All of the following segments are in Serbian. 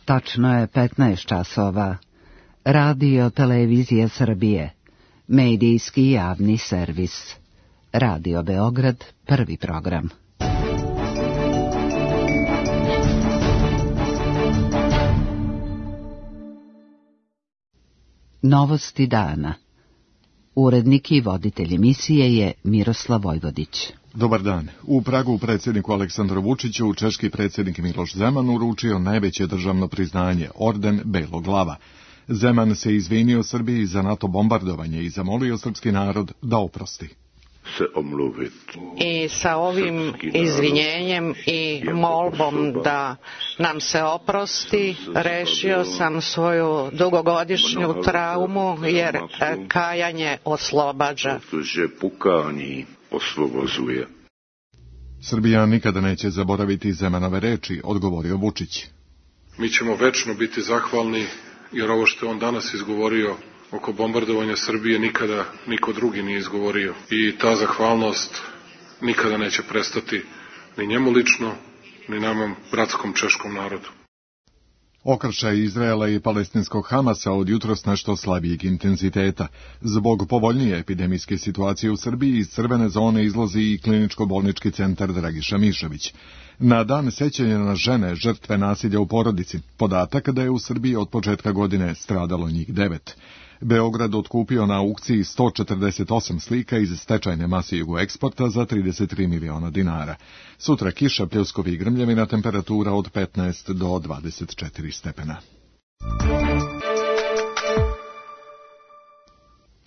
Tačno je 15 časova. Radio Televizija Srbije. Medijski javni servis. Radio Beograd, prvi program. Novosti dana. Urednik i voditelj emisije je Miroslav Vojvodić. Dobar dan. U Pragu predsjedniku Aleksandru Vučiću češki predsjednik Miloš Zeman uručio najveće državno priznanje, orden Belog lava. Zeman se izvinio Srbiji za NATO bombardovanje i zamolio srpski narod da oprosti. I sa ovim izvinjenjem i molbom da nam se oprosti, rešio sam svoju dugogodišnju traumu, jer kajanje oslobađa. Srbija nikada neće zaboraviti Zemanove reči, odgovorio Vučić. Mi ćemo večno biti zahvalni, jer ovo što je on danas izgovorio oko bombardovanja Srbije nikada niko drugi nije izgovorio. I ta zahvalnost nikada neće prestati ni njemu lično, ni nama bratskom češkom narodu. Okršaj Izraela i palestinskog Hamasa od jutros nešto slabijeg intenziteta. Zbog povoljnije epidemijske situacije u Srbiji iz crvene zone izlazi i kliničko-bolnički centar Dragiša Mišović. Na dan sećanja na žene žrtve nasilja u porodici, podatak da je u Srbiji od početka godine stradalo njih 9. Beograd otkupio na aukciji 148 slika iz stečajne mase Jugoeksporta za 33 miliona dinara. Sutra kiša, pljuskovi i grmljavina, temperatura od 15 do 24 stepena.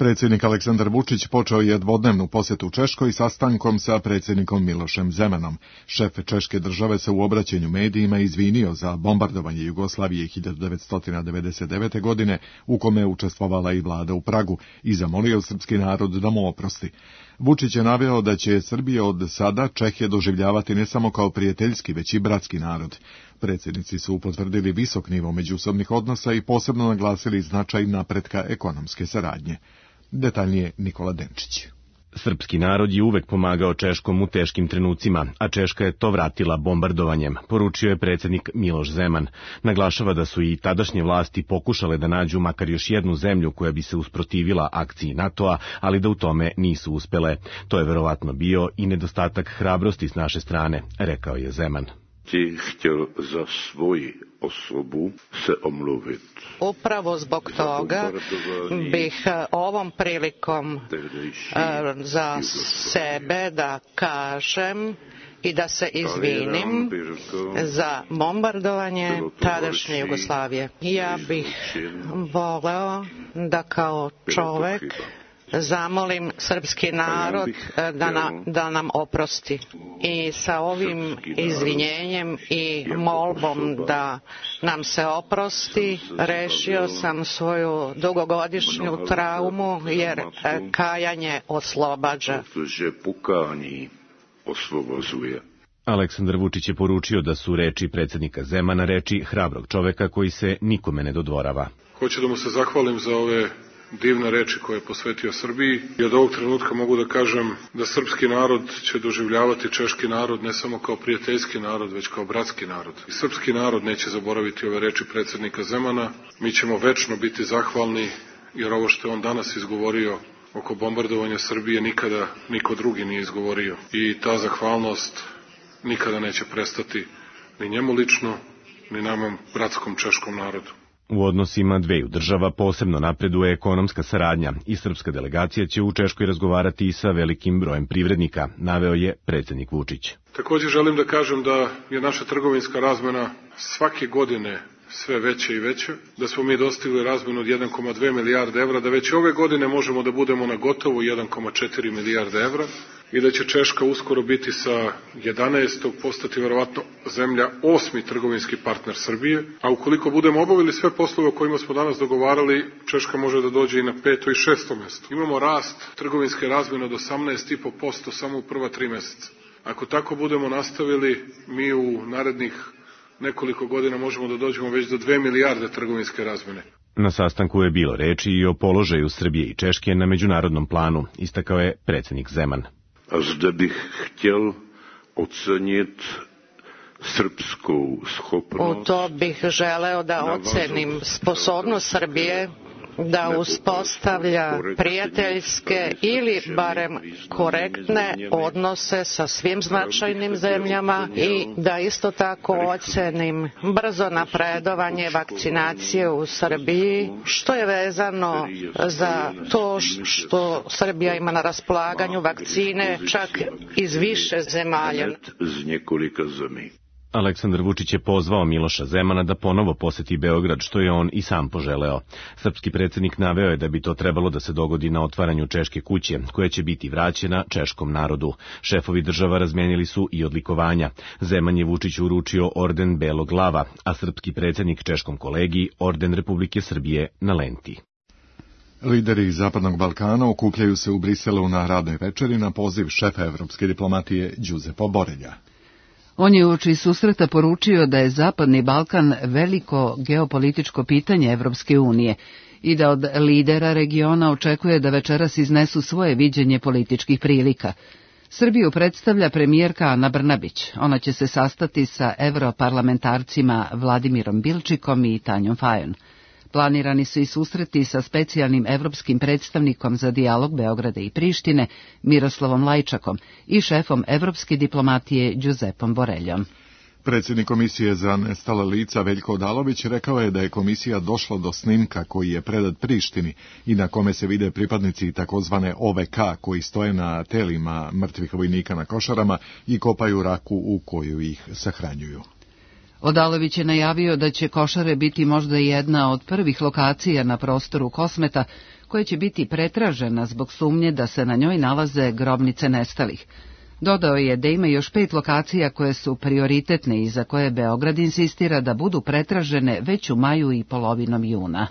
Predsjednik Aleksandar Vučić počeo je dvodnevnu posjetu Češkoj sastankom sa predsjednikom Milošem Zemanom. Šef Češke države se u obraćanju medijima izvinio za bombardovanje Jugoslavije 1999. godine, u kome je učestvovala i vlada u Pragu, i zamolio srpski narod da mu oprosti. Vučić je naveo da će Srbija od sada Čehe doživljavati ne samo kao prijateljski, već i bratski narod. Predsjednici su potvrdili visok nivo međusobnih odnosa i posebno naglasili značaj napretka ekonomske saradnje. Detaljnije Nikola Denčić. Srpski narod je uvek pomagao Češkom u teškim trenucima, a Češka je to vratila bombardovanjem, poručio je predsjednik Miloš Zeman. Naglašava da su i tadašnje vlasti pokušale da nađu makar još jednu zemlju koja bi se usprotivila akciji NATO-a, ali da u tome nisu uspele. To je verovatno bio i nedostatak hrabrosti s naše strane, rekao je Zeman. Htjel za svoju osobu se omluvit. Upravo zbog toga bih ovom prilikom za sebe da kažem i da se izvinim za bombardovanje tadašnje Jugoslavije. Ja bih voleo da kao čovek zamolim srpski narod da nam oprosti. I sa ovim izvinjenjem i molbom da nam se oprosti, rešio sam svoju dugogodišnju traumu, jer kajanje oslobađa. Aleksandar Vučić je poručio da su reči predsjednika Zemana reči hrabrog čoveka koji se nikome ne dodvorava. Hoću da mu se zahvalim za ove divne reči koje je posvetio Srbiji i od ovog trenutka mogu da kažem da srpski narod će doživljavati češki narod ne samo kao prijateljski narod, već kao bratski narod. I srpski narod neće zaboraviti ove reči predsjednika Zemana. Mi ćemo večno biti zahvalni, jer ovo što je on danas izgovorio oko bombardovanja Srbije nikada niko drugi nije izgovorio. I ta zahvalnost nikada neće prestati ni njemu lično, ni nama bratskom češkom narodu. U odnosima dveju država posebno napreduje ekonomska saradnja i srpska delegacija će u Češkoj razgovarati i sa velikim brojem privrednika, naveo je predsjednik Vučić. Također želim da kažem da je naša trgovinska razmena svake godine sve veće i veće, da smo mi dostigli razmenu od 1,2 milijarde evra, da već ove godine možemo da budemo na gotovo 1,4 milijarde evra i da će Češka uskoro biti sa 11. postati verovatno zemlja 8. trgovinski partner Srbije, a ukoliko budemo obavili sve poslove o kojima smo danas dogovarali, Češka može da dođe i na 5. i 6. mesto. Imamo rast trgovinske razmene od 18,5% samo u prva 3 meseca. Ako tako budemo nastavili, mi u narednih nekoliko godina možemo da dođemo već do 2 milijarde trgovinske razmene. Na sastanku je bilo reči i o položaju Srbije i Češke na međunarodnom planu, istakao je predsjednik Zeman. A zde bih htjel ocenit srpskou schopnost. U to bih želeo da ocenim sposobnost Srbije da uspostavlja prijateljske ili barem korektne odnose sa svim značajnim zemljama i da isto tako ocenim brzo napredovanje vakcinacije u Srbiji, što je vezano za to što Srbija ima na raspolaganju vakcine čak iz više zemalja. Aleksandar Vučić je pozvao Miloša Zemana da ponovo poseti Beograd, što je on i sam poželeo. Srpski predsjednik naveo je da bi to trebalo da se dogodi na otvaranju Češke kuće, koja će biti vraćena češkom narodu. Šefovi država razmijenili su i odlikovanja. Zeman je Vučiću uručio orden Belog lava, a srpski predsjednik češkom kolegiji orden Republike Srbije na lenti. Lideri Zapadnog Balkana okupljaju se u Briselu na radnoj večeri na poziv šefa evropske diplomatije Giuseppa Borrella. On je uoči susreta poručio da je Zapadni Balkan veliko geopolitičko pitanje Evropske unije i da od lidera regiona očekuje da večeras iznesu svoje viđenje političkih prilika. Srbiju predstavlja premijerka Ana Brnabić. Ona će se sastati sa europarlamentarcima Vladimirom Bilčikom i Tanjom Fajon. Planirani su i susreti sa specijalnim evropskim predstavnikom za dijalog Beograda i Prištine, Miroslavom Lajčakom, i šefom evropske diplomatije Giuseppom Borrellom. Predsjednik Komisije za nestala lica Veljko Odalović rekao je da je komisija došla do snimka koji je predat Prištini i na kome se vide pripadnici takozvane OVK koji stoje na telima mrtvih vojnika na Košarama i kopaju raku u koju ih sahranjuju. Odalović je najavio da će Košare biti možda jedna od prvih lokacija na prostoru Kosmeta koja će biti pretražena zbog sumnje da se na njoj nalaze grobnice nestalih. Dodao je da ima još 5 lokacija koje su prioritetne i za koje Beograd insistira da budu pretražene već u maju i polovinom juna.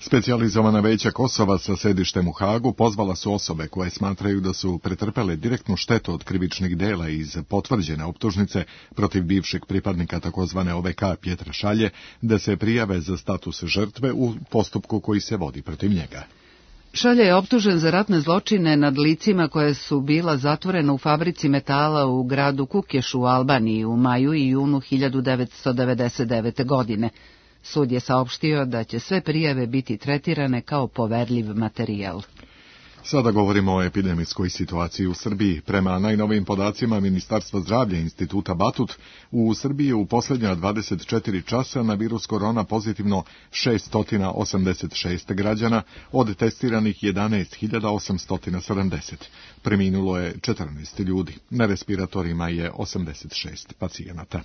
Specijalizovana veća Kosova sa sedištem u Hagu pozvala su osobe koje smatraju da su pretrpele direktnu štetu od krivičnih dela iz potvrđene optužnice protiv bivšeg pripadnika takozvane OVK Pjetra Šalje da se prijave za status žrtve u postupku koji se vodi protiv njega. Šalje je optužen za ratne zločine nad licima koje su bila zatvorena u fabrici metala u gradu Kukješu u Albaniji u maju i junu 1999. godine. Sud je saopštio da će sve prijave biti tretirane kao poverljiv materijal. Sada govorimo o epidemijskoj situaciji u Srbiji. Prema najnovijim podacima Ministarstva zdravlja Instituta Batut, u Srbiji je u posljednja 24 časa na virus korona pozitivno 686 građana, od testiranih 11.870. Preminulo je 14 ljudi. Na respiratorima je 86 pacijenata.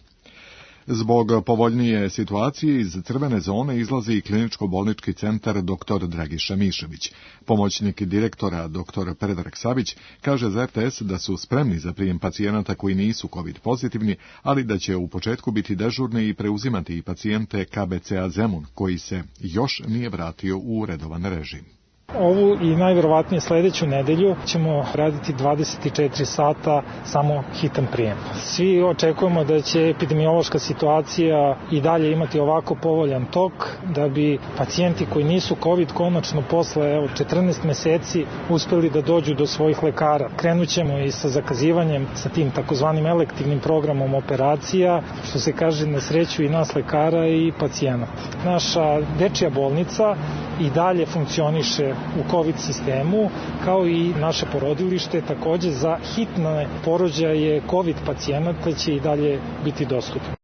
Zbog povoljnije situacije iz crvene zone izlazi i kliničko-bolnički centar dr. Dragiša Mišević. Pomoćnik direktora dr. Predrag Savić kaže za RTS da su spremni za prijem pacijenata koji nisu COVID pozitivni, ali da će u početku biti dežurni i preuzimati i pacijente KBC-a Zemun, koji se još nije vratio u redovan režim. Ovu i najverovatnije sljedeću nedelju ćemo raditi 24 sata samo hitan prijem. Svi očekujemo da će epidemiološka situacija i dalje imati ovako povoljan tok, da bi pacijenti koji nisu COVID konačno posle 14 meseci uspeli da dođu do svojih lekara. Krenut ćemo i sa zakazivanjem sa tim takozvanim elektivnim programom operacija, što se kaže na sreću i nas lekara i pacijenata. Naša dečija bolnica i dalje funkcioniše u COVID sistemu, kao i naše porodilište, također za hitne porođaje COVID pacijenata će i dalje biti dostupno.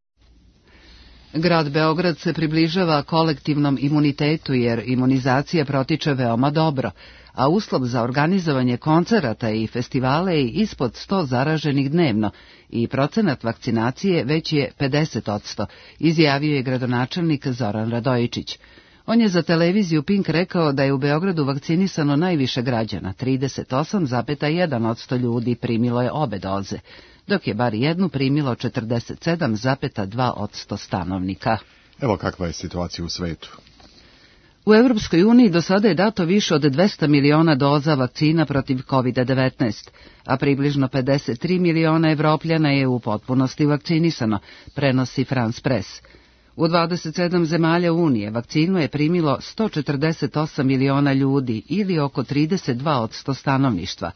Grad Beograd se približava kolektivnom imunitetu jer imunizacija protiče veoma dobro, a uslov za organizovanje koncerata i festivale je ispod 100 zaraženih dnevno i procenat vakcinacije već je 50%, izjavio je gradonačelnik Zoran Radojičić. On je za televiziju Pink rekao da je u Beogradu vakcinisano najviše građana, 38,1% ljudi primilo je obe doze, dok je bar jednu primilo 47,2% stanovnika. Evo kakva je situacija u svetu. U Evropskoj uniji do sada je dato više od 200 miliona doza vakcina protiv COVID-19, a približno 53 miliona Evropljana je u potpunosti vakcinisano, prenosi France Press. U 27 zemalja Unije vakcinu je primilo 148 miliona ljudi ili oko 32% stanovništva.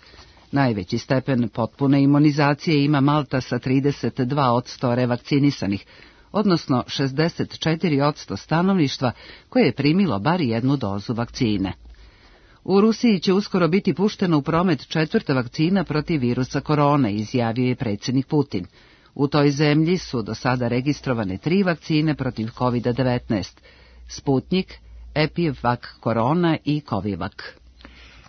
Najveći stepen potpune imunizacije ima Malta sa 32% revakcinisanih, odnosno 64% stanovništva koje je primilo bar jednu dozu vakcine. U Rusiji će uskoro biti puštena u promet 4. vakcina protiv virusa korone, izjavio je predsjednik Putin. U toj zemlji su do sada registrovane 3 vakcine protiv COVID-19, Sputnik, Epivac Korona i Covivac.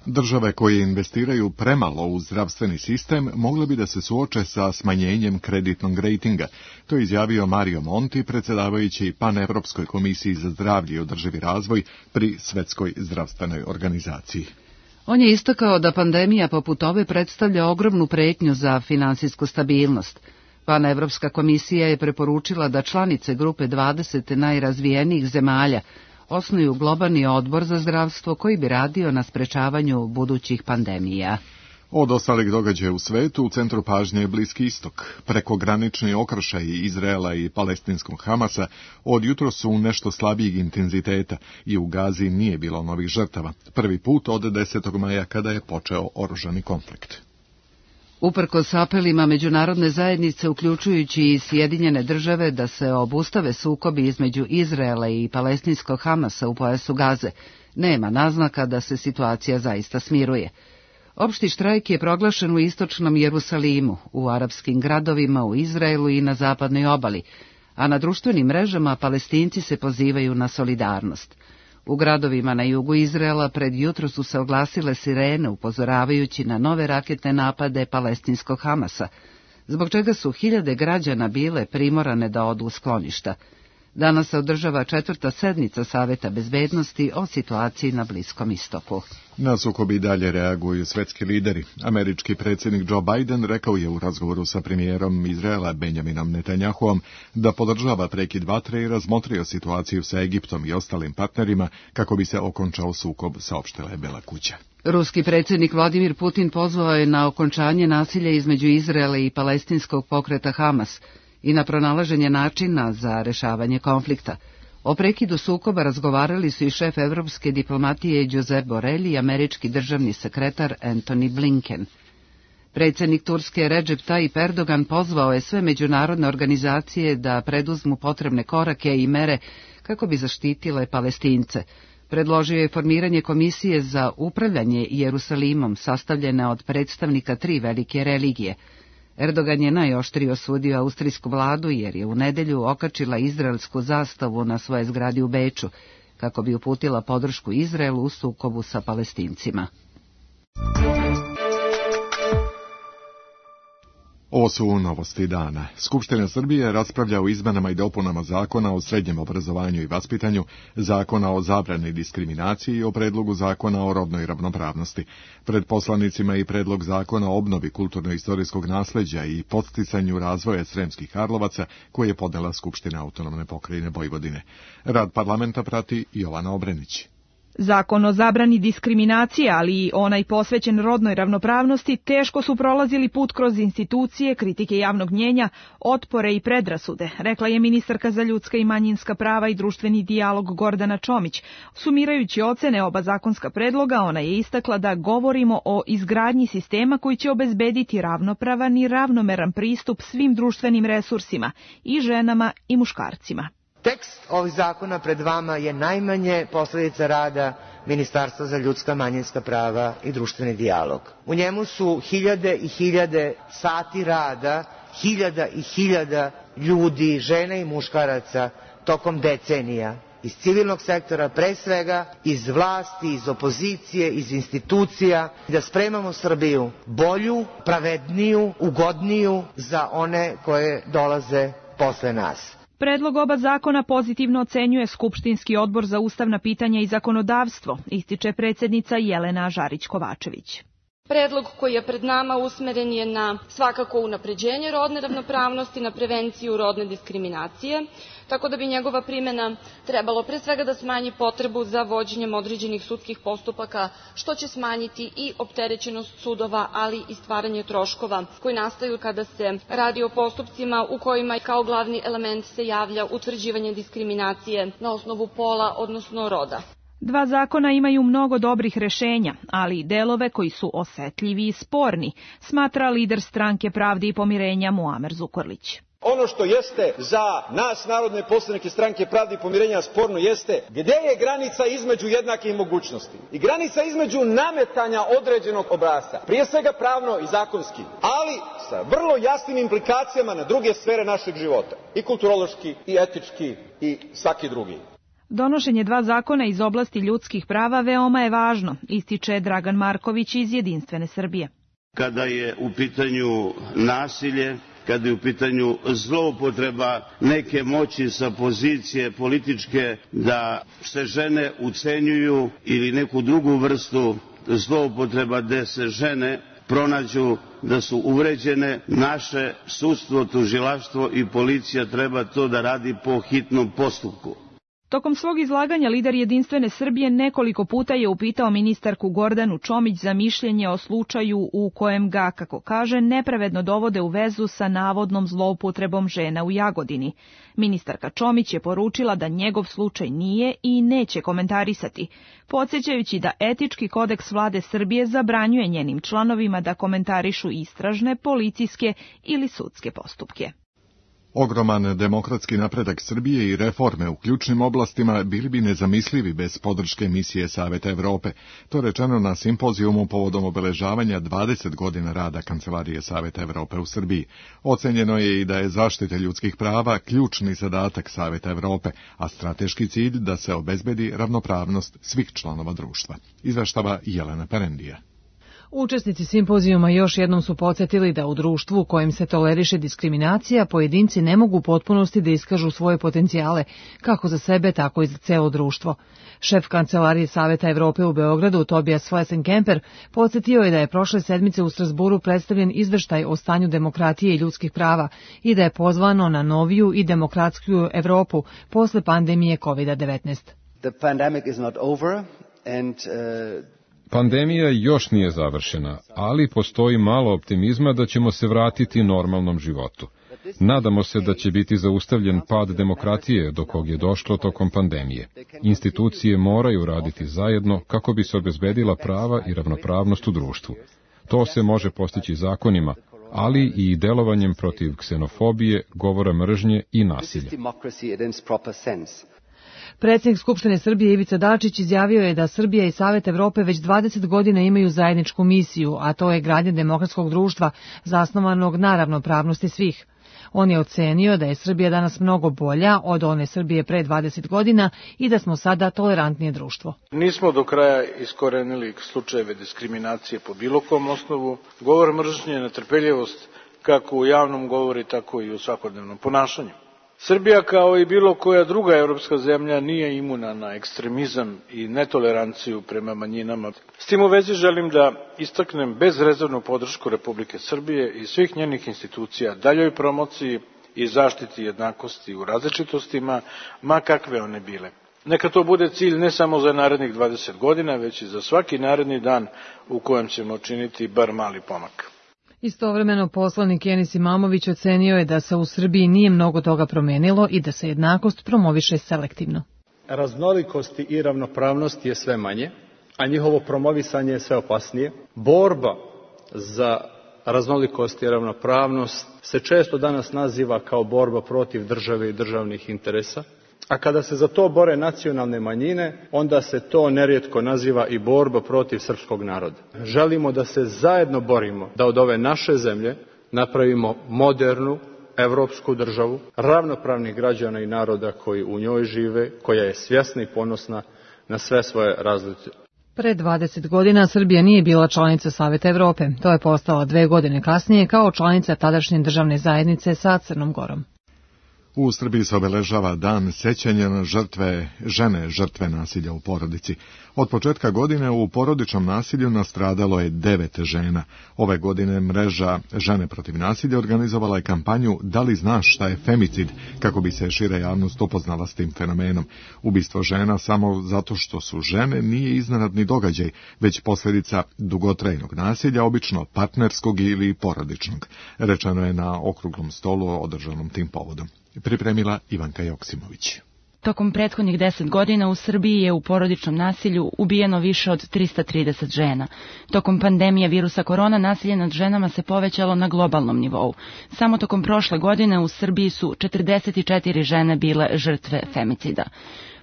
Države koje investiraju premalo u zdravstveni sistem mogle bi da se suoče sa smanjenjem kreditnog rejtinga. To je izjavio Mario Monti, predsjedavajući Panevropskoj komisiji za zdravlje i održivi razvoj pri Svetskoj zdravstvenoj organizaciji. On je istakao da pandemija poput ove predstavlja ogromnu pretnju za finansijsku stabilnost. Panevropska komisija je preporučila da članice grupe 20 najrazvijenijih zemalja osnuju globalni odbor za zdravstvo koji bi radio na sprečavanju budućih pandemija. Od ostalih događaja u svetu, u centru pažnje je Bliski istok. Prekogranični okršaj Izraela i palestinskog Hamasa od jutro su u nešto slabijeg intenziteta i u Gazi nije bilo novih žrtava. Prvi put od 10. maja kada je počeo oružani konflikt. Uprkos apelima međunarodne zajednice, uključujući i Sjedinjene države, da se obustave sukobi između Izraela i palestinskog Hamasa u pojasu Gaze, nema naznaka da se situacija zaista smiruje. Opšti štrajk je proglašen u istočnom Jerusalimu, u arapskim gradovima, u Izraelu i na zapadnoj obali, a na društvenim mrežama Palestinci se pozivaju na solidarnost. U gradovima na jugu Izraela pred jutro su se oglasile sirene upozoravajući na nove raketne napade palestinskog Hamasa, zbog čega su hiljade građana bile primorane da odu u skloništa. Danas se održava 4. sednica Saveta bezbednosti o situaciji na Bliskom istoku. Na sukobi dalje reaguju svetski lideri. Američki predsjednik Joe Biden rekao je u razgovoru sa premijerom Izraela Benjaminom Netanjahuom da podržava prekid vatre i razmotrio situaciju sa Egiptom i ostalim partnerima kako bi se okončao sukob, saopštila je Bela kuća. Ruski predsjednik Vladimir Putin pozvao je na okončanje nasilja između Izraela i palestinskog pokreta Hamas i na pronalaženje načina za rešavanje konflikta. O prekidu sukoba razgovarali su i šef evropske diplomatije Josep Borrell i američki državni sekretar Antony Blinken. Predsjednik Turske Recep Tayyip Erdogan pozvao je sve međunarodne organizacije da preduzmu potrebne korake i mere kako bi zaštitile Palestince. Predložio je formiranje komisije za upravljanje Jerusalimom sastavljene od predstavnika 3 velike religije. Erdogan je najoštrije osudio austrijsku vladu jer je u nedelju okačila izraelsku zastavu na svoje zgradi u Beču, kako bi uputila podršku Izraelu u sukobu sa Palestincima. Ovo su novosti dana. Skupština Srbije raspravlja o izmenama i dopunama Zakona o srednjem obrazovanju i vaspitanju, Zakona o zabrani diskriminaciji i o predlogu Zakona o rodnoj ravnopravnosti. Pred poslanicima i predlog Zakona o obnovi kulturno-istorijskog nasleđa i podsticanju razvoja Sremskih Karlovaca, koje je podnela Skupština Autonomne pokrajine Vojvodine. Rad parlamenta prati Jovana Obrenić. Zakon o zabrani diskriminacije, ali i onaj posvećen rodnoj ravnopravnosti, teško su prolazili put kroz institucije, kritike javnog mnjenja, otpore i predrasude, rekla je ministarka za ljudska i manjinska prava i društveni dijalog Gordana Čomić. Sumirajući ocene oba zakonska predloga, ona je istakla da govorimo o izgradnji sistema koji će obezbediti ravnopravan i ravnomeran pristup svim društvenim resursima, i ženama i muškarcima. Tekst ovih zakona pred vama je najmanje posledica rada Ministarstva za ljudska manjinska prava i društveni dijalog. U njemu su hiljade i hiljade sati rada, hiljada i hiljada ljudi, žena i muškaraca tokom decenija, iz civilnog sektora pre svega, iz vlasti, iz opozicije, iz institucija, da spremamo Srbiju bolju, pravedniju, ugodniju za one koje dolaze posle nas. Predlog oba zakona pozitivno ocenjuje Skupštinski odbor za ustavna pitanja i zakonodavstvo, ističe predsjednica Jelena Žarić-Kovačević. Predlog koji je pred nama usmeren je na svakako unapređenje rodne ravnopravnosti, na prevenciju rodne diskriminacije, tako da bi njegova primjena trebalo pre svega da smanji potrebu za vođenjem određenih sudskih postupaka, što će smanjiti i opterećenost sudova, ali i stvaranje troškova koji nastaju kada se radi o postupcima u kojima kao glavni element se javlja utvrđivanje diskriminacije na osnovu pola, odnosno roda. Dva zakona imaju mnogo dobrih rešenja, ali i delove koji su osetljivi i sporni, smatra lider Stranke pravde i pomirenja Muamer Zukorlić. Ono što jeste za nas, narodne poslanike Stranke pravde i pomirenja, sporno jeste gde je granica između jednakih mogućnosti i granica između nametanja određenog obrasca, prije svega pravno i zakonski, ali sa vrlo jasnim implikacijama na druge sfere našeg života, i kulturološki, i etički, i svaki drugi. Donošenje dva zakona iz oblasti ljudskih prava veoma je važno, ističe Dragan Marković iz Jedinstvene Srbije. Kada je u pitanju nasilje, kada je u pitanju zloupotreba neke moći sa pozicije političke da se žene ucenjuju ili neku drugu vrstu zloupotreba gde se žene pronađu da su uvređene, naše sudstvo, tužilaštvo i policija treba to da radi po hitnom postupku. Tokom svog izlaganja lider Jedinstvene Srbije nekoliko puta je upitao ministarku Gordanu Čomić za mišljenje o slučaju u kojem ga, kako kaže, nepravedno dovode u vezu sa navodnom zloupotrebom žena u Jagodini. Ministarka Čomić je poručila da njegov slučaj nije i neće komentarisati, podsjećajući da etički kodeks vlade Srbije zabranjuje njenim članovima da komentarišu istražne, policijske ili sudske postupke. Ogroman demokratski napredak Srbije i reforme u ključnim oblastima bili bi nezamislivi bez podrške misije Saveta Evrope. To rečeno na simpozijumu povodom obeležavanja 20 godina rada Kancelarije Saveta Evrope u Srbiji. Ocenjeno je i da je zaštita ljudskih prava ključni zadatak Saveta Evrope, a strateški cilj da se obezbedi ravnopravnost svih članova društva. Izveštava Jelena Perendija. Učesnici simpozijuma još jednom su podsjetili da u društvu u kojem se toleriše diskriminacija pojedinci ne mogu u potpunosti da iskažu svoje potencijale, kako za sebe, tako i za celo društvo. Šef Kancelarije Saveta Evrope u Beogradu, Tobias Flesenkemper, podsjetio je da je prošle sedmice u Strasburu predstavljen izveštaj o stanju demokratije i ljudskih prava i da je pozvano na noviju i demokratskiju Evropu posle pandemije COVID-19. Pandemija još nije završena, ali postoji malo optimizma da ćemo se vratiti normalnom životu. Nadamo se da će biti zaustavljen pad demokratije do kog je došlo tokom pandemije. Institucije moraju raditi zajedno kako bi se obezbedila prava i ravnopravnost u društvu. To se može postići zakonima, ali i delovanjem protiv ksenofobije, govora mržnje i nasilja. Predsjednik Skupštine Srbije Ivica Dačić izjavio je da Srbija i Savet Evrope već 20 godina imaju zajedničku misiju, a to je gradnja demokratskog društva zasnovanog na ravnopravnosti svih. On je ocenio da je Srbija danas mnogo bolja od one Srbije pre 20 godina i da smo sada tolerantnije društvo. Nismo do kraja iskorenili slučajeve diskriminacije po bilo kom osnovu, govor mržnje, netrpeljivost kako u javnom govoru, tako i u svakodnevnom ponašanju. Srbija, kao i bilo koja druga evropska zemlja, nije imuna na ekstremizam i netoleranciju prema manjinama. S tim u vezi želim da istaknem bezrezervnu podršku Republike Srbije i svih njenih institucija daljoj promociji i zaštiti jednakosti u različitostima, ma kakve one bile. Neka to bude cilj ne samo za narednih 20 godina, već i za svaki naredni dan u kojem ćemo činiti bar mali pomak. Istovremeno poslanik Enis Imamović ocenio je da se u Srbiji nije mnogo toga promenilo i da se jednakost promoviše selektivno. Raznolikosti i ravnopravnost je sve manje, a njihovo promovisanje je sve opasnije. Borba za raznolikost i ravnopravnost se često danas naziva kao borba protiv države i državnih interesa, a kada se za to bore nacionalne manjine, onda se to nerijetko naziva i borba protiv srpskog naroda. Želimo da se zajedno borimo da od ove naše zemlje napravimo modernu evropsku državu, ravnopravnih građana i naroda koji u njoj žive, koja je svjesna i ponosna na sve svoje razlike. Pre 20 godina Srbija nije bila članica Saveta Evrope. To je postala 2 godine kasnije kao članica tadašnje državne zajednice sa Crnom Gorom. U Srbiji se obeležava dan sećanja na žene žrtve nasilja u porodici. Od početka godine u porodičnom nasilju nastradalo je 9 žena. Ove godine mreža Žene protiv nasilja organizovala je kampanju Da li znaš šta je femicid, kako bi se šira javnost upoznala s tim fenomenom. Ubistvo žena samo zato što su žene nije iznenadni događaj, već posljedica dugotrajnog nasilja, obično partnerskog ili porodičnog. Rečeno je na okruglom stolu održanom tim povodom. Pripremila Ivanka Joksimović. Tokom prethodnih 10 godina u Srbiji je u porodičnom nasilju ubijeno više od 330 žena. Tokom pandemije virusa korona nasilje nad ženama se povećalo na globalnom nivou. Samo tokom prošle godine u Srbiji su 44 žene bile žrtve femicida.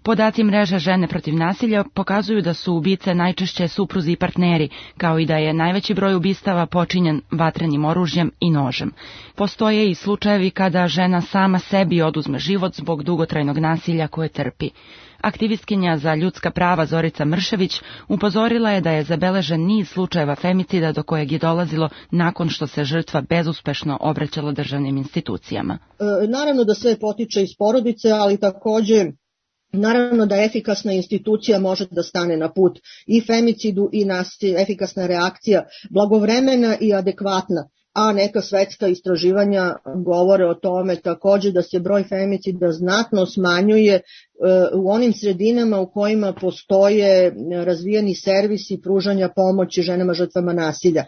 Podaci mreže Žene protiv nasilja pokazuju da su ubice najčešće supruzi i partneri, kao i da je najveći broj ubistava počinjen vatrenim oružjem i nožem. Postoje i slučajevi kada žena sama sebi oduzme život zbog dugotrajnog nasilja koje trpi. Aktivistkinja za ljudska prava Zorica Mršević upozorila je da je zabeležen niz slučajeva femicida do kojeg je dolazilo nakon što se žrtva bezuspešno obraćala državnim institucijama. Naravno da sve potiče iz porodice, ali takođe naravno da efikasna institucija može da stane na put i femicidu i efikasna reakcija, blagovremena i adekvatna, a neka svetska istraživanja govore o tome takođe da se broj femicida znatno smanjuje u onim sredinama u kojima postoje razvijeni servisi pružanja pomoći ženama žrtvama nasilja.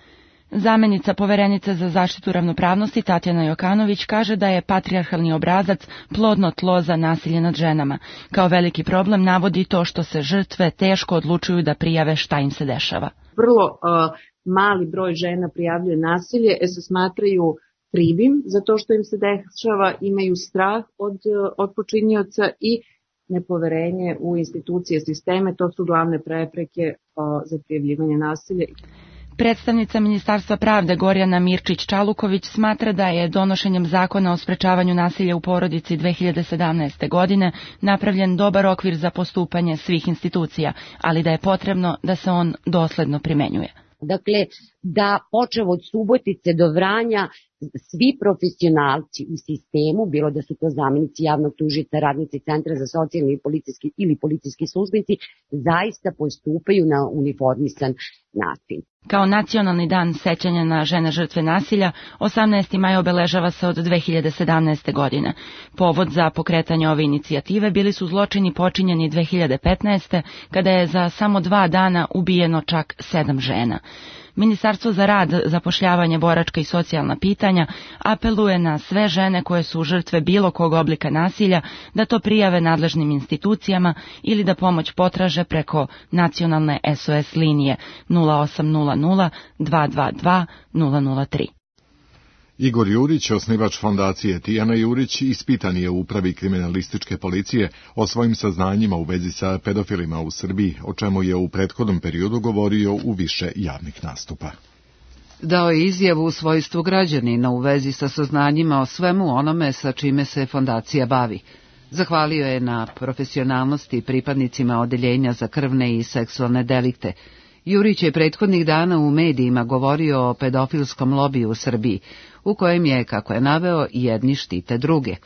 Zamenica poverenice za zaštitu ravnopravnosti Tatjana Jokanović kaže da je patrijarhalni obrazac plodno tlo za nasilje nad ženama. Kao veliki problem navodi to što se žrtve teško odlučuju da prijave šta im se dešava. Vrlo mali broj žena prijavljuje nasilje, se smatraju krivim za to što im se dešava, imaju strah od počinioca i nepoverenje u institucije, sisteme. To su glavne prepreke za prijavljivanje nasilja. Predstavnica Ministarstva pravde Gorjana Mirčić-Čaluković smatra da je donošenjem zakona o sprečavanju nasilja u porodici 2017. godine napravljen dobar okvir za postupanje svih institucija, ali da je potrebno da se on dosledno primenjuje. Dakle, da počev od Subotice do Vranja svi profesionalci u sistemu, bilo da su to zamenici javnog tužioca, radnici Centra za socijalni ili policijski službenici, zaista postupaju na uniformisan način. Kao nacionalni dan sećanja na žene žrtve nasilja, 18. maj obeležava se od 2017. godine. Povod za pokretanje ove inicijative bili su zločini počinjeni 2015. kada je za samo 2 dana ubijeno čak 7 žena. Ministarstvo za rad, zapošljavanje, boračka i socijalna pitanja apeluje na sve žene koje su žrtve bilo kog oblika nasilja da to prijave nadležnim institucijama ili da pomoć potraže preko nacionalne SOS linije 0800 222 003. Igor Jurić, osnivač fondacije Tijana Jurić, ispitan je u upravi kriminalističke policije o svojim saznanjima u vezi sa pedofilima u Srbiji, o čemu je u prethodnom periodu govorio u više javnih nastupa. Dao je izjavu u svojstvu građanina u vezi sa saznanjima o svemu onome sa čime se fondacija bavi. Zahvalio je na profesionalnosti pripadnicima odeljenja za krvne i seksualne delikte. Jurić je prethodnih dana u medijima govorio o pedofilskom lobiju u Srbiji, u kojem je, kako je naveo, jedni štite druge.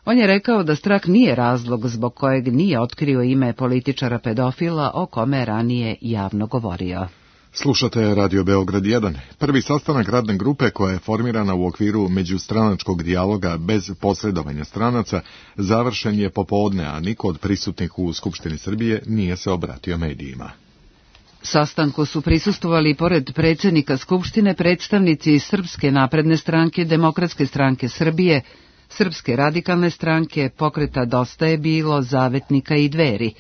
On je rekao da strah nije razlog zbog kojeg nije otkrio ime političara pedofila o kome je ranije javno govorio. Slušate Radio Beograd 1. Prvi sastanak radne grupe koja je formirana u okviru međustranačkog dijaloga bez posredovanja stranaca završen je popodne, a niko od prisutnih u Skupštini Srbije nije se obratio medijima. Sastanku su prisustvovali pored predsjednika Skupštine predstavnici Srpske napredne stranke, Demokratske stranke Srbije, Srpske radikalne stranke, Pokreta Dosta je bilo, Zavetnika i Dveri.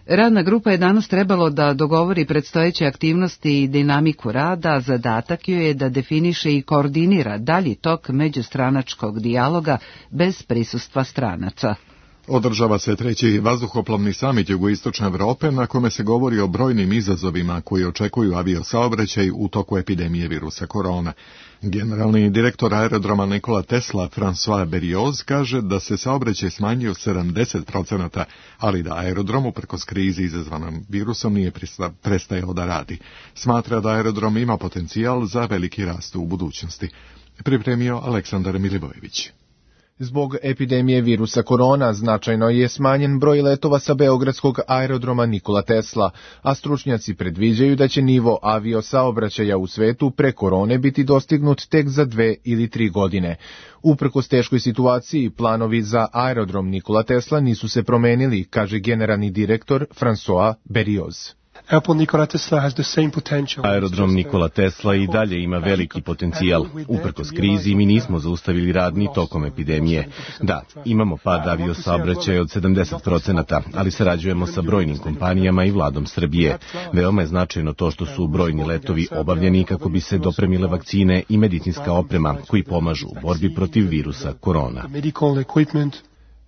Radna grupa je danas trebalo da dogovori predstojeće aktivnosti i dinamiku rada, a zadatak joj je da definiše i koordinira dalji tok međustranačkog dijaloga bez prisustva stranaca. Održava se 3. vazduhoplovni samit Jugoistočne Evrope na kome se govori o brojnim izazovima koji očekuju aviosaobraćaj u toku epidemije virusa korona. Generalni direktor aerodroma Nikola Tesla, François Berioz, kaže da se saobraćaj smanjio 70%, ali da aerodrom uprkos krizi izazvanom virusom nije prestajao da radi. Smatra da aerodrom ima potencijal za veliki rast u budućnosti. Pripremio Aleksandar Milivojević. Zbog epidemije virusa korona značajno je smanjen broj letova sa beogradskog aerodroma Nikola Tesla, a stručnjaci predviđaju da će nivo aviosaobraćaja u svetu pre korone biti dostignut tek za 2 ili 3 godine. Uprkos teškoj situaciji, planovi za aerodrom Nikola Tesla nisu se promenili, kaže generalni direktor François Berioz. Aerodrom Nikola Tesla i dalje ima veliki potencijal. Uprkos krizi mi nismo zaustavili rad ni tokom epidemije. Da, imamo pad aviosaobraćaja od 70%, ali sarađujemo sa brojnim kompanijama i vladom Srbije. Veoma je značajno to što su brojni letovi obavljeni kako bi se dopremile vakcine i medicinska oprema koji pomažu u borbi protiv virusa korona.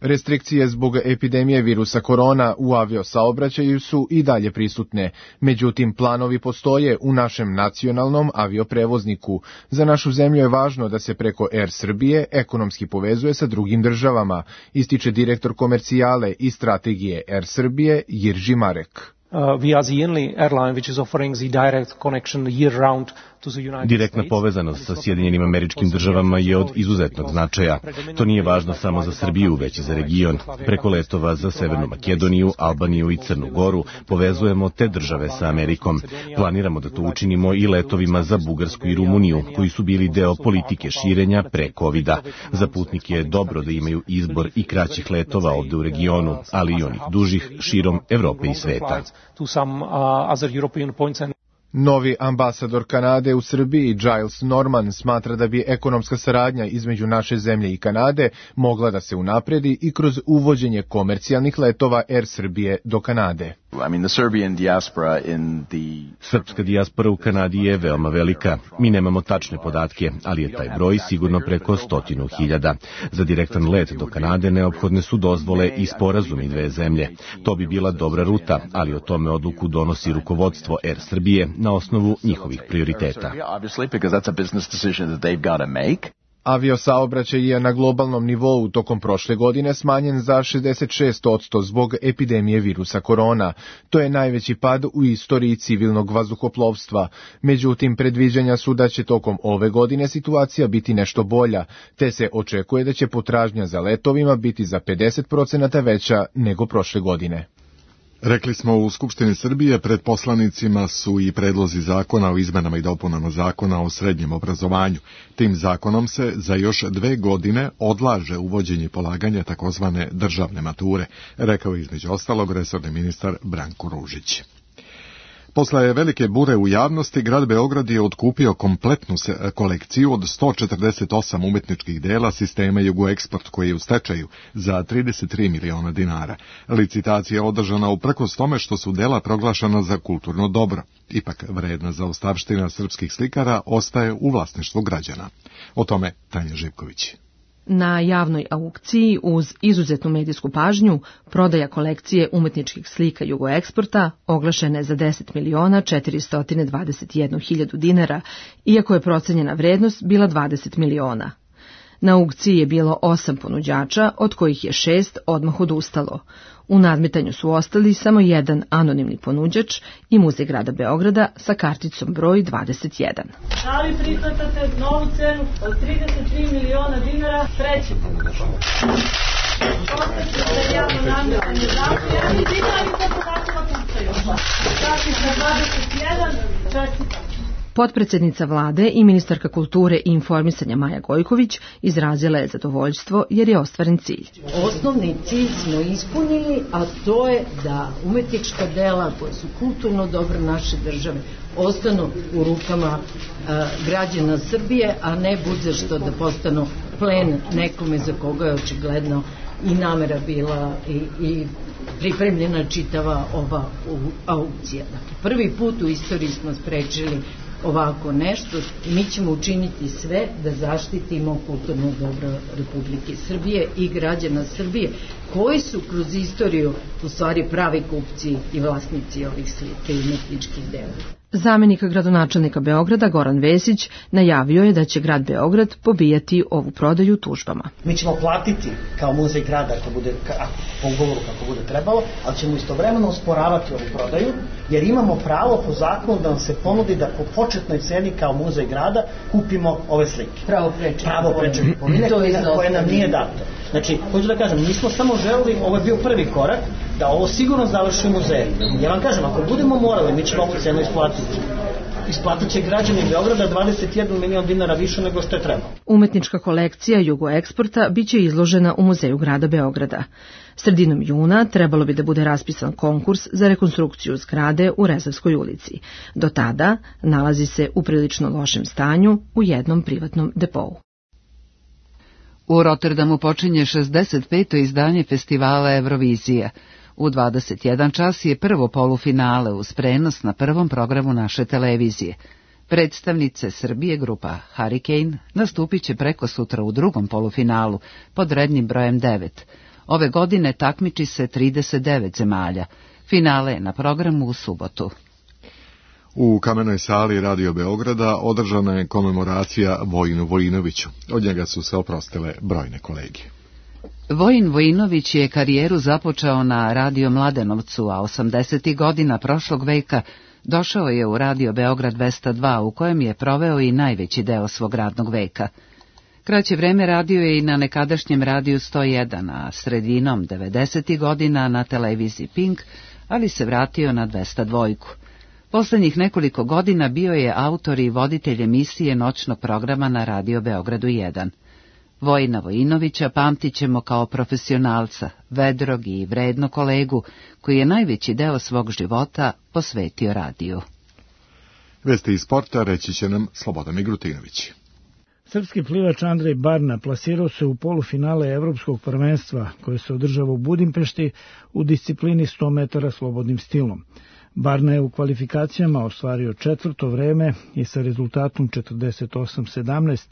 Restrikcije zbog epidemije virusa korona u aviosaobraćaju su i dalje prisutne. Međutim, planovi postoje u našem nacionalnom avioprevozniku. Za našu zemlju je važno da se preko Air Srbije ekonomski povezuje sa drugim državama, ističe direktor komercijale i strategije Air Srbije Jirži Marek. We are the only airline which is offering the direct connection year-round to the United States. Direktna povezanost sa Sjedinjenim Američkim Državama je od izuzetnog značaja. To nije važno samo za Srbiju, već i za region. Preko letova za Severnu Makedoniju, Albaniju i Crnu Goru povezujemo te države sa Amerikom. Planiramo da to učinimo i letovima za Bugarsku i Rumuniju, koji su bili deo politike širenja pre COVID-a. Za putnike je dobro da imaju izbor i kraćih letova ovde u regionu, ali i onih dužih širom Evrope i sveta. Novi ambasador Kanade u Srbiji, Giles Norman, smatra da bi ekonomska saradnja između naše zemlje i Kanade mogla da se unapredi i kroz uvođenje komercijalnih letova Air Srbije do Kanade. Srpska dijaspora u Kanadi je veoma velika. Mi nemamo tačne podatke, ali je taj broj sigurno preko 100.000. Za direktan let do Kanade neophodne su dozvole i sporazumi dve zemlje. To bi bila dobra ruta, ali o tome odluku donosi rukovodstvo Air Srbije na osnovu njihovih prioriteta. Aviosaobraćaj je na globalnom nivou tokom prošle godine smanjen za 66% zbog epidemije virusa korona. To je najveći pad u istoriji civilnog vazduhoplovstva. Međutim, predviđanja su da će tokom ove godine situacija biti nešto bolja, te se očekuje da će potražnja za letovima biti za 50% veća nego prošle godine. Rekli smo u Skupštini Srbije, pred poslanicima su i predlozi zakona o izmenama i dopunama zakona o srednjem obrazovanju. Tim zakonom se za još 2 godine odlaže uvođenje polaganja takozvane državne mature, rekao je između ostalog resorni ministar Branko Ružić. Posle velike bure u javnosti, grad Beograd je otkupio kompletnu kolekciju od 148 umetničkih dela sistema Jugoeksport koji je u stečaju za 33 miliona dinara. Licitacija je održana uprkos tome što su dela proglašena za kulturno dobro. Ipak vredna zaostavština srpskih slikara ostaje u vlasništvu građana. O tome Tanja Živković. Na javnoj aukciji uz izuzetnu medijsku pažnju prodaja kolekcije umetničkih slika Jugoeksporta oglašena je za 10.421.000 dinara, iako je procenjena vrednost bila 20 miliona. Na aukciji je bilo 8 ponuđača, od kojih je 6 odmah odustalo. U nadmetanju su ostali samo jedan anonimni ponuđač i Muzej grada Beograda sa karticom broj 21. Da li prihvatate novu cenu od 33 miliona dinara treći ponuđač? Postavite za javno nadmetanje zahtjeva i dinari kako pucaju. Kartica 21, čestitam. Potpredsednica vlade i ministarka kulture i informisanja Maja Gojković izrazila je zadovoljstvo jer je ostvaren cilj. Osnovni cilj smo ispunili, a to je da umetnička dela koja su kulturno dobro naše države ostanu u rukama građana Srbije, a ne bude što da postanu plen nekome za koga je očigledno i namera bila i pripremljena čitava ova aukcija. Dakle, prvi put u istoriji smo sprečili ovako nešto i mi ćemo učiniti sve da zaštitimo kulturno dobro Republike Srbije i građana Srbije koji su kroz istoriju u stvari pravi kupci i vlasnici ovih slika i umetničkih dela. Zamenik gradonačelnika Beograda Goran Vesić najavio je da će grad Beograd pobijati ovu prodaju tužbama. Mi ćemo platiti kao muzej grada ako bude, po ugovoru kako bude trebalo, ali ćemo istovremeno osporavati ovu prodaju, jer imamo pravo po zakonu da nam se ponudi da po početnoj ceni kao muzej grada kupimo ove slike. Pravo prečeg kupovine koje nam nije dato. Znači, hoću da kažem, mi smo samo želeli, ovo je bio prvi korak, da ovo sigurno završi u muzeju. Ja vam kažem, ako budemo morali, mi ćemo ovu cenu isplatiti. isplatit će građani Beograda 21 milion dinara više nego što je trebalo. Umetnička kolekcija Jugoeksporta biće izložena u Muzeju grada Beograda. Sredinom juna trebalo bi da bude raspisan konkurs za rekonstrukciju zgrade u Rezavskoj ulici. Do tada nalazi se u prilično lošem stanju u jednom privatnom depou. U Rotterdamu počinje 65. izdanje festivala Eurovizija. U 21 čas je prvo polufinale uz prenos na prvom programu naše televizije. Predstavnice Srbije, grupa Hurricane, nastupit će preko sutra u drugom polufinalu pod rednim brojem 9. Ove godine takmiči se 39 zemalja. Finale je na programu u subotu. U Kamenoj sali Radio Beograda održana je komemoracija Vojinu Vojinoviću. Od njega su se oprostile brojne kolege. Vojin Vojinović je karijeru započeo na Radio Mladenovcu, a 80. godina prošlog veka došao je u Radio Beograd 202, u kojem je proveo i najveći deo svog radnog veka. Kraće vreme radio je i na nekadašnjem Radiju 101, a sredinom 90. godina na televiziji Pink, ali se vratio na 202. Poslednjih nekoliko godina bio je autor i voditelj emisije noćnog programa na Radio Beogradu 1. Vojina Vojinovića pamtit ćemo kao profesionalca, vedrog i vrednog kolegu, koji je najveći deo svog života posvetio radiju. Vesti iz sporta reći će nam Slobodan Migrutinović. Srpski plivač Andrej Barna plasirao se u polufinale Evropskog prvenstva koje se održava u Budimpešti u disciplini 100 metara slobodnim stilom. Barna je u kvalifikacijama ostvario četvrto vreme i sa rezultatom 48:17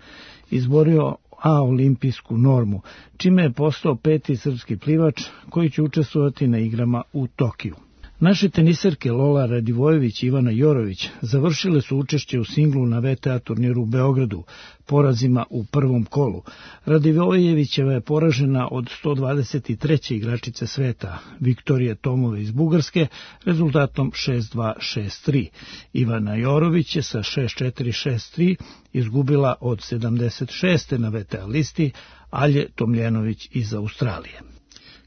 izborio olimpijsku normu, čime je postao 5. srpski plivač koji će učestvovati na igrama u Tokiju. Naše teniserke Lola Radivojević i Ivana Jorović završile su učešće u singlu na VTA turniru u Beogradu, porazima u prvom kolu. Radivojevićeva je poražena od 123. igračice sveta, Viktorije Tomove iz Bugarske, rezultatom 6-2, 6-3. Ivana Jorović je sa 6-4, 6-3 izgubila od 76. na VTA listi Alje Tomljenović iz Australije.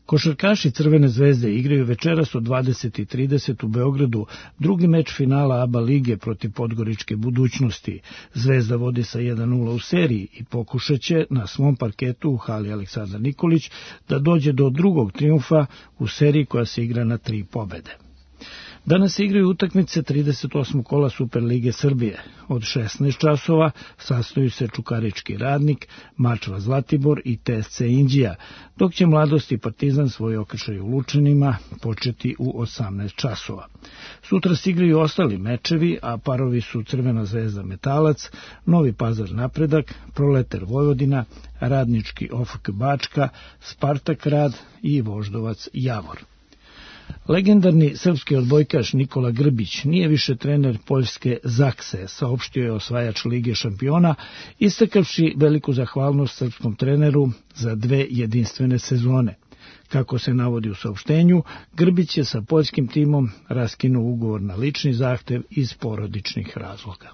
Košarkaši Crvene zvezde igraju večeras od 20:30 u Beogradu drugi meč finala ABA lige protiv Podgoričke Budućnosti. Zvezda vodi sa 1:0 u seriji i pokušaće na svom parketu u hali Aleksandar Nikolić da dođe do drugog trijumfa u seriji koja se igra na 3 pobede. Danas se igraju utakmice 38. kola Superlige Srbije. Od 16 časova sastaju se Čukarički Radnik, Mačva Zlatibor i TSC Inđija, dok će Mladost i Partizan svoj okršaj u Lučanima početi u 18 časova. Sutra se igraju ostali mečevi, a parovi su Crvena zvezda Metalac, Novi Pazar Napredak, Proleter Vojvodina, Radnički OFK Bačka, Spartak Rad i Voždovac Javor. Legendarni srpski odbojkaš Nikola Grbić nije više trener poljske Zakse, saopštio je osvajač Lige šampiona, istakavši veliku zahvalnost srpskom treneru za 2 jedinstvene sezone. Kako se navodi u saopštenju, Grbić je sa poljskim timom raskinuo ugovor na lični zahtev iz porodičnih razloga.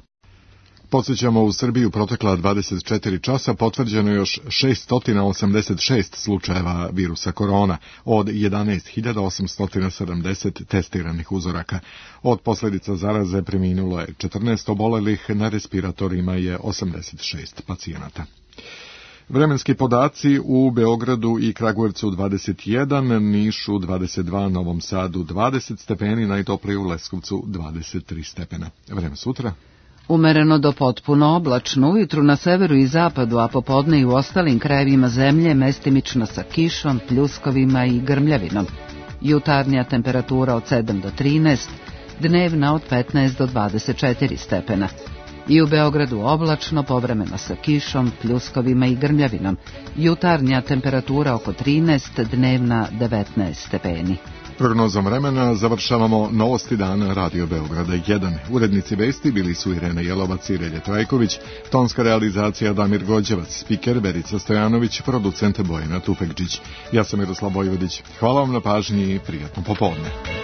Podsjećamo, u Srbiji u protekla 24 časa potvrđeno još 686 slučajeva virusa korona od 11.870 testiranih uzoraka. Od posljedica zaraze preminulo je 14 obolelih, na respiratorima je 86 pacijenata. Vremenski podaci: u Beogradu i Kragujevcu 21, Nišu 22, Novom Sadu 20 stepeni, najtoplije u Leskovcu 23 stepena. Vreme sutra: umereno do potpuno oblačno, ujutru na severu i zapadu, a popodne i u ostalim krajevima zemlje mestimično sa kišom, pljuskovima i grmljavinom. Jutarnja temperatura od 7 do 13, dnevna od 15 do 24 stepena. I u Beogradu oblačno, povremeno sa kišom, pljuskovima i grmljavinom. Jutarnja temperatura oko 13, dnevna 19 stepeni. Prognozom vremena završavamo novosti dana Radio Beograda 1. Urednici vesti bili su Irena Jelovac i Relje Trajković, tonska realizacija Damir Gođevac, spiker Verica Stojanović, producent Bojana Tufekđić. Ja sam Miroslav Vojvodić. Hvala vam na pažnji i prijatno popodne.